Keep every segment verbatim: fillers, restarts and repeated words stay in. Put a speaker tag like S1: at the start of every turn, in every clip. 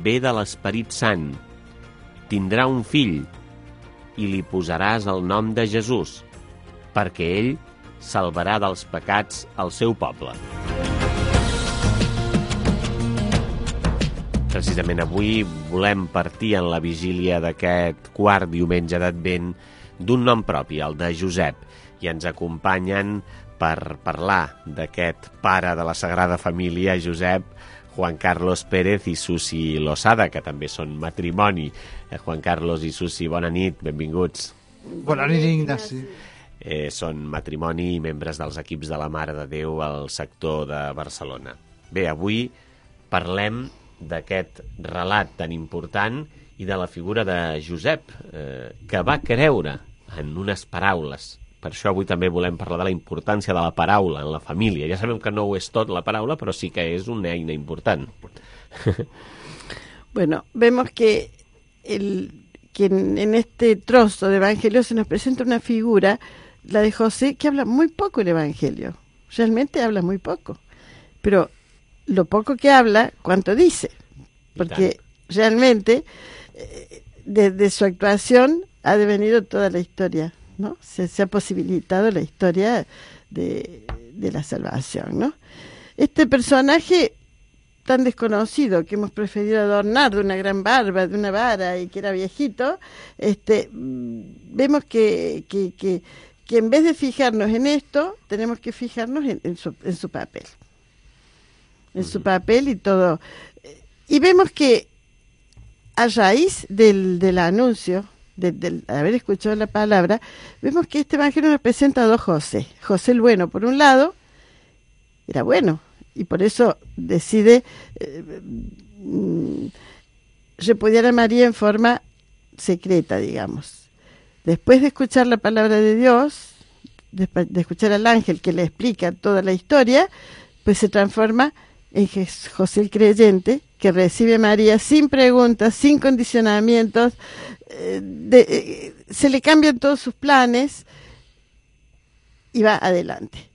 S1: ve de l'Esperit Sant. Tindrà un fill i li posaràs el nom de Jesús, perquè ell salvarà dels pecats el seu poble. Precisament avui volem partir en la vigília d'aquest quart diumenge d'Advent d'un nom propi, el de Josep, i ens acompanyen per parlar d'aquest pare de la Sagrada Família, Josep, Juan Carlos Pérez i Susi Losada, que també són matrimoni. Eh, Juan Carlos i Susi, bona nit, benvinguts.
S2: Bona nit, Ignasi.
S1: Eh, són matrimoni i membres dels equips de la Mare de Déu al sector de Barcelona. Bé, avui parlem d'aquest relat tan important i de la figura de Josep, eh, que va creure en unes paraules. Per això avui també volem parlar de la importància de la paraula en la família. Ja sabem que no ho és tot la paraula, però sí que és una eina important.
S3: Bueno, vemos que, el, que en, en este trozo de Evangelio se nos presenta una figura, la de José, que habla muy poco el Evangelio. Realmente habla muy poco. Pero lo poco que habla, ¿cuánto dice? Porque realmente eh, desde su actuación ha devenido toda la historia, ¿no? Se, se ha posibilitado la historia de, de la salvación, ¿no? Este personaje tan desconocido que hemos preferido adornar de una gran barba, de una vara y que era viejito, este, vemos que, que, que, que en vez de fijarnos en esto, tenemos que fijarnos en, en, su, en su papel. En su papel y todo. Y vemos que a raíz del, del anuncio, de, de haber escuchado la palabra, vemos que este evangelio nos presenta a dos José. José el bueno, por un lado, era bueno, y por eso decide eh, repudiar a María en forma secreta, digamos. Después de escuchar la palabra de Dios, de, de escuchar al ángel que le explica toda la historia, pues se transforma en José el creyente, que recibe a María sin preguntas, sin condicionamientos, eh, de, eh, se le cambian todos sus planes y va adelante.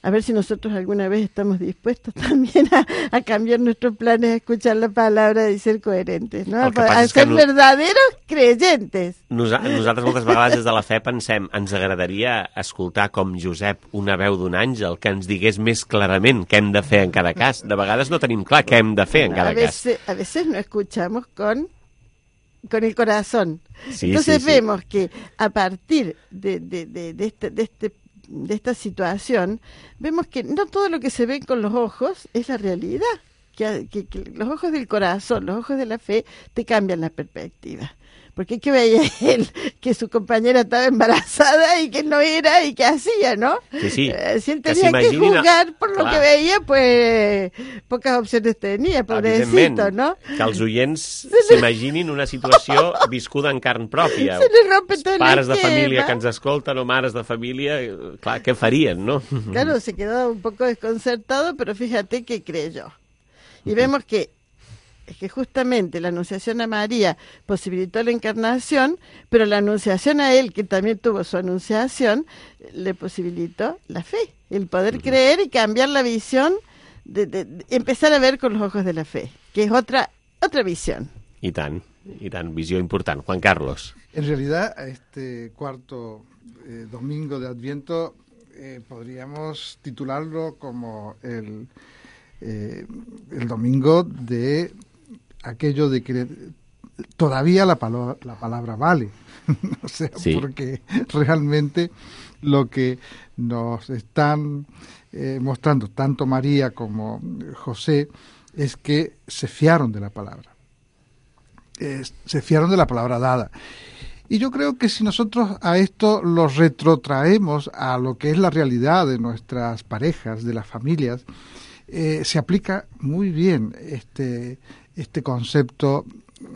S3: A ver si nosotros alguna vez estamos dispuestos también a, a cambiar nuestros planes, a escuchar la palabra y ser coherentes, no? A, a ser no... verdaderos creyentes.
S1: Nosa nosaltres moltes vegades des de la fe pensem, ens agradaria escoltar com Josep una veu d'un àngel que ens digués més clarament què hem de fer en cada cas. De vegades no tenim clar què hem de fer en cada
S3: a veces,
S1: cas.
S3: A veces no escuchamos con, con el corazón.
S1: Sí,
S3: Entonces
S1: sí, sí.
S3: vemos que a partir de, de, de, de este... De este de esta situación, vemos que no todo lo que se ve con los ojos es la realidad, que, que, que los ojos del corazón, los ojos de la fe, te cambian la perspectiva. Porque ¿qué veía él? Que su compañera estaba embarazada y que no era y que hacía, ¿no?
S1: Sí, sí.
S3: Eh, si él tenía que, que juzgar por lo Clar. que veia, pues pocas opciones tenía, pobrecito, ¿no?
S1: Que els oients s'imaginin una situació viscuda en carn pròpia.
S3: Se li rompe tot
S1: Pares de família que ens escolten o mares de família, clar, què farien, no?
S3: Claro, se quedó un poco desconcertado, pero fíjate que creyó. Y vemos que es que justamente la anunciación a María posibilitó la encarnación, pero la anunciación a él, que también tuvo su anunciación, le posibilitó la fe, el poder uh-huh. creer y cambiar la visión, de, de, de empezar a ver con los ojos de la fe, que es otra otra visión.
S1: I tant, i tant, visió important. Juan Carlos.
S2: En realidad, este cuarto eh, domingo de Adviento eh, podríamos titularlo como el, eh, el domingo de aquello de que todavía la palabra, la palabra vale. O sea, sí. Porque realmente lo que nos están eh, mostrando tanto María como José es que se fiaron de la palabra. Eh, se fiaron de la palabra dada. Y yo creo que si nosotros a esto lo retrotraemos a lo que es la realidad de nuestras parejas, de las familias, eh, se aplica muy bien este este concepto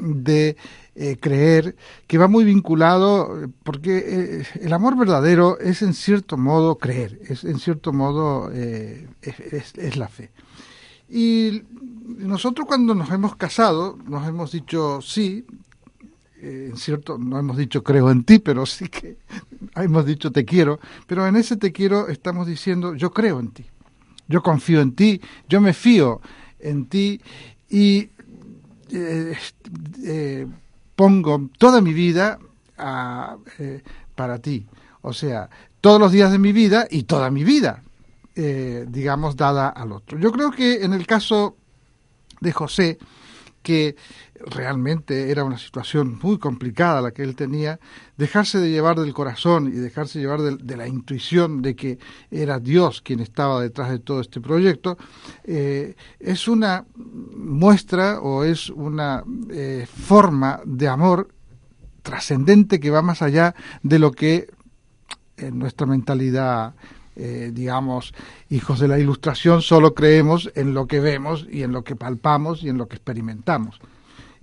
S2: de eh, creer, que va muy vinculado, porque eh, el amor verdadero es en cierto modo creer, es en cierto modo eh, es, es, es la fe. Y nosotros cuando nos hemos casado, nos hemos dicho sí, eh, en cierto, no hemos dicho creo en ti, pero sí que hemos dicho te quiero, pero en ese te quiero estamos diciendo yo creo en ti, yo confío en ti, yo me fío en ti, y eh, eh, pongo toda mi vida a, eh, para ti. O sea, todos los días de mi vida y toda mi vida, eh, digamos, dada al otro. Yo creo que en el caso de José, que realmente era una situación muy complicada la que él tenía, dejarse de llevar del corazón y dejarse llevar de, de la intuición de que era Dios quien estaba detrás de todo este proyecto, eh, es una muestra o es una eh, forma de amor trascendente que va más allá de lo que en nuestra mentalidad, eh, digamos, hijos de la Ilustración, solo creemos en lo que vemos y en lo que palpamos y en lo que experimentamos.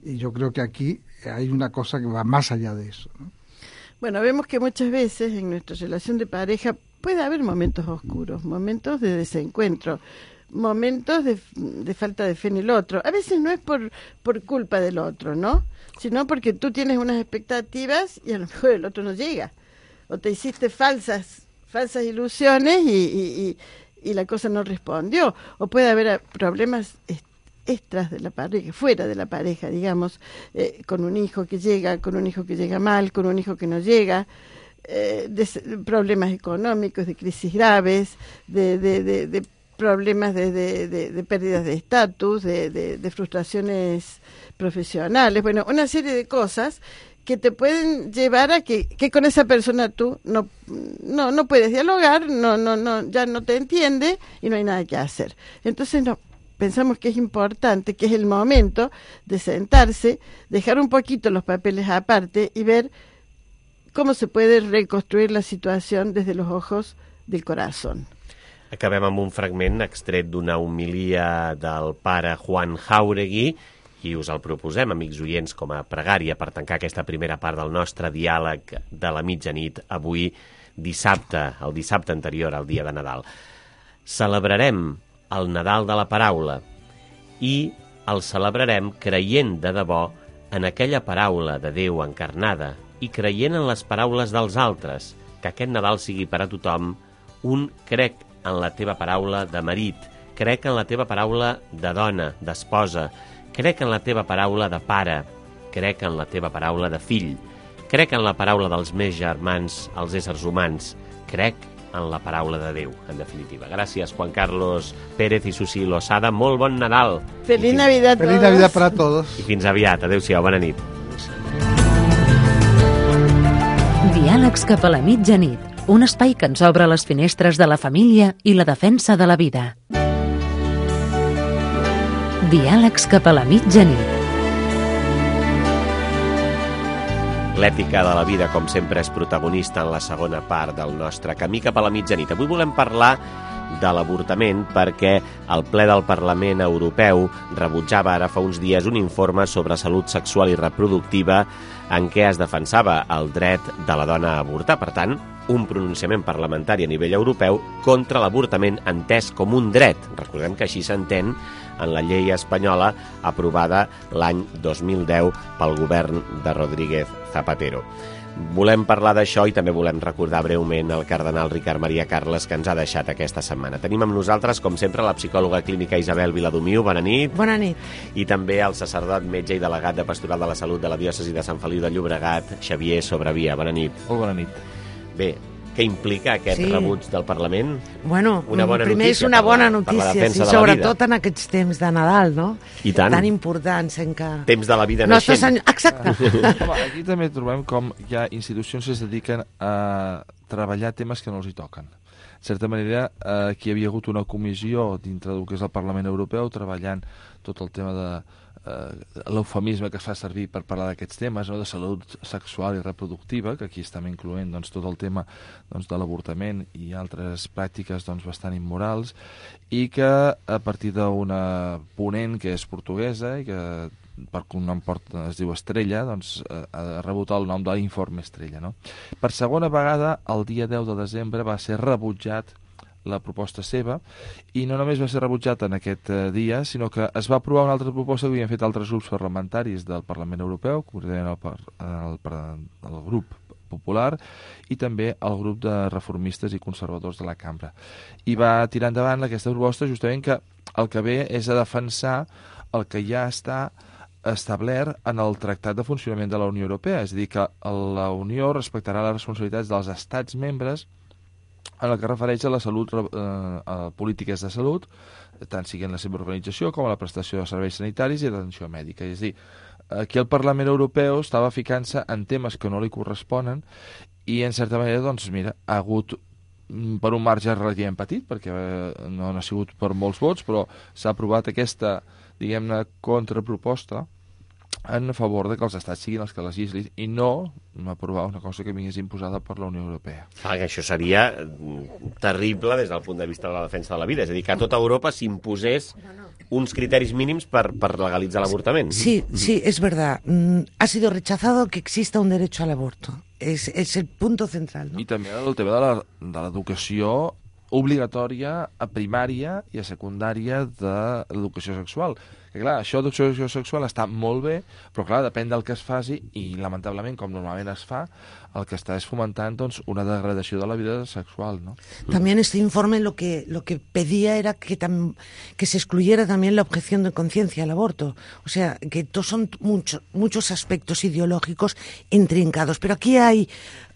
S2: Y yo creo que aquí hay una cosa que va más allá de eso, ¿no?
S3: Bueno, vemos que muchas veces en nuestra relación de pareja puede haber momentos oscuros, momentos de desencuentro, momentos de, de falta de fe en el otro. A veces no es por, por culpa del otro, ¿no? Sino porque tú tienes unas expectativas y a lo mejor el otro no llega. O te hiciste falsas falsas ilusiones y, y, y, y la cosa no respondió. O puede haber problemas extras de la pareja, fuera de la pareja, digamos, eh, con un hijo que llega, con un hijo que llega mal, con un hijo que no llega, eh, de, de problemas económicos, de crisis graves, de, de, de, de problemas de, de, de, de pérdidas de estatus, de, de, de frustraciones profesionales, bueno, una serie de cosas que te pueden llevar a que, que con esa persona tú no, no, no puedes dialogar, no, no, no, ya no te entiende y no hay nada que hacer. Entonces no, pensamos que es importante, que es el momento de sentarse, dejar un poquito los papeles aparte y ver cómo se puede reconstruir la situación desde los ojos del corazón.
S1: Acabem amb un fragment extret d'una homilia del pare Juan Jáuregui i us el proposem, amics oients, com a pregària per tancar aquesta primera part del nostre diàleg de la mitjanit avui dissabte, el dissabte anterior al dia de Nadal. Celebrarem el Nadal de la paraula i el celebrarem creient de debò en aquella paraula de Déu encarnada i creient en les paraules dels altres, que aquest Nadal sigui per a tothom un crec en la teva paraula de marit, crec en la teva paraula de dona, d'esposa, crec en la teva paraula de pare, crec en la teva paraula de fill, crec en la paraula dels meus germans, els éssers humans, crec en la paraula de Déu, en definitiva. Gràcies, Juan Carlos Pérez i Susi Losada. Molt bon Nadal.
S3: Feliz Navidad a todos.
S2: Feliz Navidad para todos.
S1: I fins aviat. Adéu-siau. Bona nit.
S4: Diàlegs cap a la mitjanit. Un espai que ens obre les finestres de la família i la defensa de la vida. Diàlegs cap a la mitjanit.
S1: L'ètica de la vida, com sempre, és protagonista en la segona part del nostre camí cap a la mitjanit. Avui volem parlar de l'avortament perquè el ple del Parlament Europeu rebutjava ara fa uns dies un informe sobre salut sexual i reproductiva en què es defensava el dret de la dona a avortar. Per tant, un pronunciament parlamentari a nivell europeu contra l'avortament entès com un dret. Recordem que així s'entén en la llei espanyola aprovada l'any dos mil deu pel govern de Rodríguez Zapatero. Volem parlar d'això i també volem recordar breument el cardenal Ricard Maria Carles, que ens ha deixat aquesta setmana. Tenim amb nosaltres, com sempre, la psicòloga clínica Isabel Viladomiu. Bona nit.
S5: Bona nit.
S1: I també el sacerdot, metge i delegat de Pastoral de la Salut de la diòcesi de Sant Feliu de Llobregat, Xavier Sobrevia. Bona nit.
S6: Molt bona nit.
S1: Bé, què implica aquest
S5: Sí.
S1: rebuig del Parlament?
S5: Bueno,
S1: Una bona
S5: primer és
S1: notícia
S5: una
S1: per la-
S5: bona
S1: per la
S5: notícia,
S1: defensa
S5: sí,
S1: de la
S5: sobretot
S1: vida.
S5: en aquests temps de Nadal, no?
S1: I tant.
S5: Tan importants en què...
S1: Temps de la vida
S5: Nostre
S1: naixent.
S5: senyor... Exacte.
S6: Home, aquí també trobem com hi ha institucions que es dediquen a treballar temes que no els hi toquen. En certa manera, eh, aquí hi havia hagut una comissió dintre del que és el Parlament Europeu treballant tot el tema de eh, l'eufemisme que es fa servir per parlar d'aquests temes, no? De salut sexual i reproductiva, que aquí estem incloent doncs, tot el tema doncs, de l'avortament i altres pràctiques doncs, bastant immorals, i que a partir d'una ponent que és portuguesa i que per un nom port, es diu Estrella, doncs eh, ha rebut el nom de l'Informe Estrella. No? Per segona vegada, el dia deu de desembre, va ser rebutjat la proposta seva, i no només va ser rebutjat en aquest eh, dia, sinó que es va aprovar una altra proposta que havien fet altres grups parlamentaris del Parlament Europeu, concretament el, par- el, el, el grup popular i també el grup de reformistes i conservadors de la cambra. I va tirar endavant aquesta proposta justament que el que ve és a defensar el que ja està establert en el Tractat de Funcionament de la Unió Europea, és a dir, que la Unió respectarà les responsabilitats dels estats membres en el que refereix a la salut, eh, a polítiques de salut, tant sigui en la seva organització com a la prestació de serveis sanitaris i d'atenció mèdica. És a dir, aquí el Parlament Europeu estava ficant-se en temes que no li corresponen i, en certa manera, doncs, mira, ha hagut per un marge relativament petit, perquè no ha sigut per molts vots, però s'ha aprovat aquesta, diguem-ne, contraproposta en favor de que els estats siguin els que legislin i no aprovar una cosa que vingués imposada per la Unió Europea.
S1: Clar, que això seria terrible des del punt de vista de la defensa de la vida, és a dir, que a tota Europa s'imposés uns criteris mínims per, per legalitzar l'avortament.
S5: Sí, sí, es verdad. Mm, ha sido rechazado que exista un derecho al aborto. Es, es el punto central, ¿no?
S6: I també el tema de la- de l'educació obligatòria a primària i a secundària de l'educació sexual. Que clar, això d'educació sexual està molt bé, però clar, depèn del que es faci i lamentablement, com normalment es fa, el que està és fomentant doncs, una degradació de la vida sexual, ¿no?
S5: También este informe lo que lo que pedía era que tam- que se excluyera también la objeción de conciencia al aborto. O sea, que to- son muchos muchos aspectos ideológicos intrincados. Pero aquí hay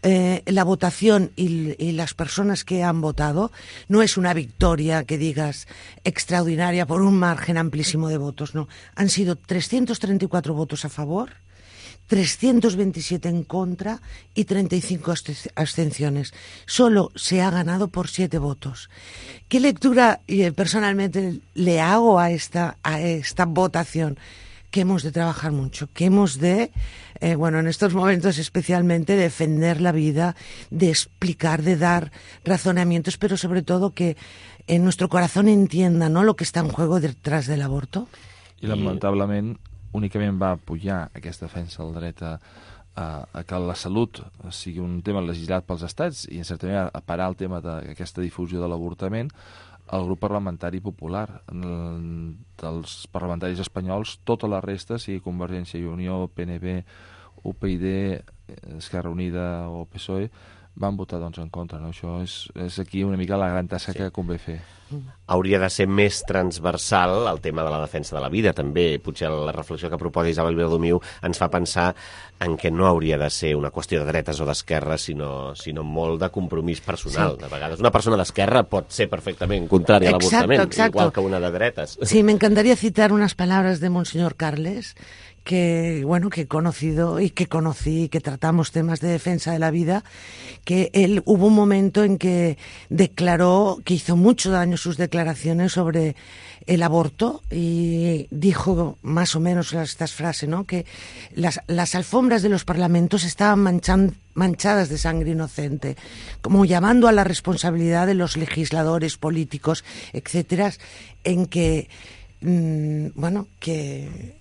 S5: eh, la votación y, y las personas que han votado. No es una victoria que digas extraordinaria por un margen amplísimo de votos, no. Han sido trescientos treinta y cuatro votos a favor, trescientos veintisiete en contra y treinta y cinco abste- abstenciones. Solo se ha ganado por siete votos. ¿Qué lectura eh, personalmente le hago a esta, a esta votación? Que hemos de trabajar mucho, que hemos de, eh, bueno, en estos momentos especialmente, defender la vida, de explicar, de dar razonamientos, pero sobre todo que en nuestro corazón entienda, ¿no?, lo que está en juego detrás del aborto.
S6: I lamentablement únicament va apoyar aquesta defensa del dret a, a, a que la salut sigui un tema legislat pels estats i en certa manera a parar el tema d'aquesta difusió de l'avortament el grup parlamentari popular. En- dels parlamentaris espanyols, tota la resta, sigui Convergència i Unió, P N V, U P y D, Esquerra Unida o P S O E, van votar doncs, en contra. No? Això és, és aquí una mica la gran tasca sí. que convé fer.
S1: Hauria de ser més transversal el tema de la defensa de la vida, també. Potser la reflexió que proposa Isabel Viladomiu ens fa pensar en què no hauria de ser una qüestió de dretes o d'esquerres, sinó, sinó molt de compromís personal. Sí. De vegades una persona d'esquerra pot ser perfectament contrària a l'avortament, igual que una de dretes.
S5: Sí, me encantaría citar unas palabras de Monseñor Carles, que bueno, que he conocido y que conocí, que tratamos temas de defensa de la vida, que él hubo un momento en que declaró, que hizo mucho daño sus declaraciones sobre el aborto y dijo más o menos estas frases, ¿no?, que las, las alfombras de los parlamentos estaban manchan, manchadas de sangre inocente, como llamando a la responsabilidad de los legisladores, políticos, etcétera, en que, mmm, bueno, que...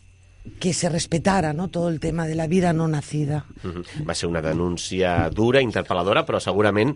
S5: que se respetara, no?, todo el tema de la vida no nacida.
S1: Uh-huh. Va ser una denúncia dura, interpel·ladora, però segurament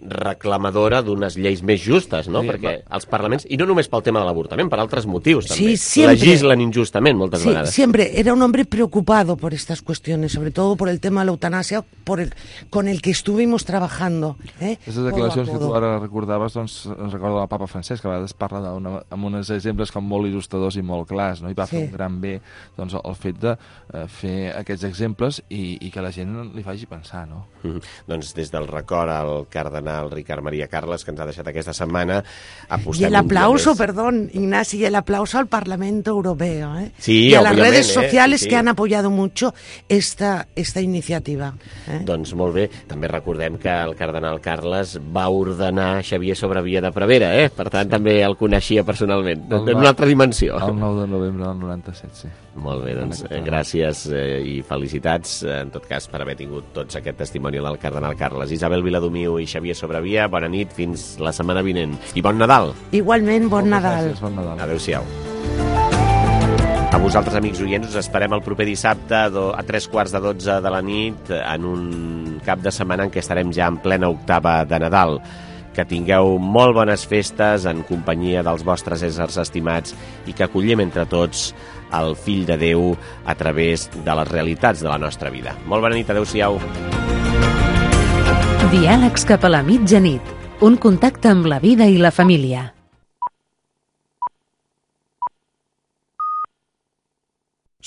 S1: reclamadora d'unes lleis més justes, no?
S6: Sí,
S1: Perquè
S6: va.
S1: els parlaments, i no només pel tema de l'avortament, per altres motius, també,
S5: Sí, siempre.
S1: legislen injustament moltes
S5: Sí,
S1: vegades.
S5: siempre era un hombre preocupado por estas cuestiones, sobre todo por el tema de la eutanasia, por el, con el que estuvimos trabajando. ¿eh?
S6: Aquestes declaracions que tu ara recordaves, doncs, ens recorda el papa Francesc, que a vegades parla d'una, amb uns exemples com molt il·lustradors i molt clars, no? I va
S5: Sí.
S6: fer un gran bé doncs, el fet de eh, fer aquests exemples i, i que la gent li faci pensar, no?
S1: Mm. Doncs des del record al cardenal Ricard Maria Carles, que ens ha deixat aquesta setmana,
S5: Y
S1: apostem
S5: el
S1: un dia
S5: aplauso,
S1: més.
S5: perdón, Ignacio, y el aplauso al Parlamento Europeo, ¿eh?
S1: Sí,
S5: y a las
S1: obviamente,
S5: redes
S1: ¿eh?
S5: sociales
S1: Sí, sí.
S5: que han apoyado mucho esta, esta iniciativa. ¿eh?
S1: Doncs molt bé, també recordem que el cardenal Carles va ordenar Xavier Sobrevia de Prevera, eh? Per tant, també el coneixia personalment,
S6: El
S1: en
S6: va-
S1: una altra dimensió.
S6: El nou de novembre del noranta-set, sí.
S1: Molt bé, doncs
S6: En
S1: eh,
S6: aquest
S1: gràcies eh, i felicitats, eh, en tot cas, per haver tingut tots aquest testimoni del cardenal Carles. Isabel Viladomiu i Xavier Sobrevia, bona nit, fins la setmana vinent. I bon Nadal!
S5: Igualmente, bon
S6: Moltes
S5: Nadal.
S6: gràcies, bon Nadal.
S1: Adéu-siau. A vosaltres, amics oients, us esperem el proper dissabte a, do, a tres quarts de dotze de la nit en un cap de setmana en què estarem ja en plena octava de Nadal. Que tingueu molt bones festes en companyia dels vostres éssers estimats i que acollim entre tots el Fill de Déu a través de les realitats de la nostra vida. Molt bona nit, adéu-siau.
S4: Diàlegs cap a la mitjanit. Un contacte amb la vida i la família.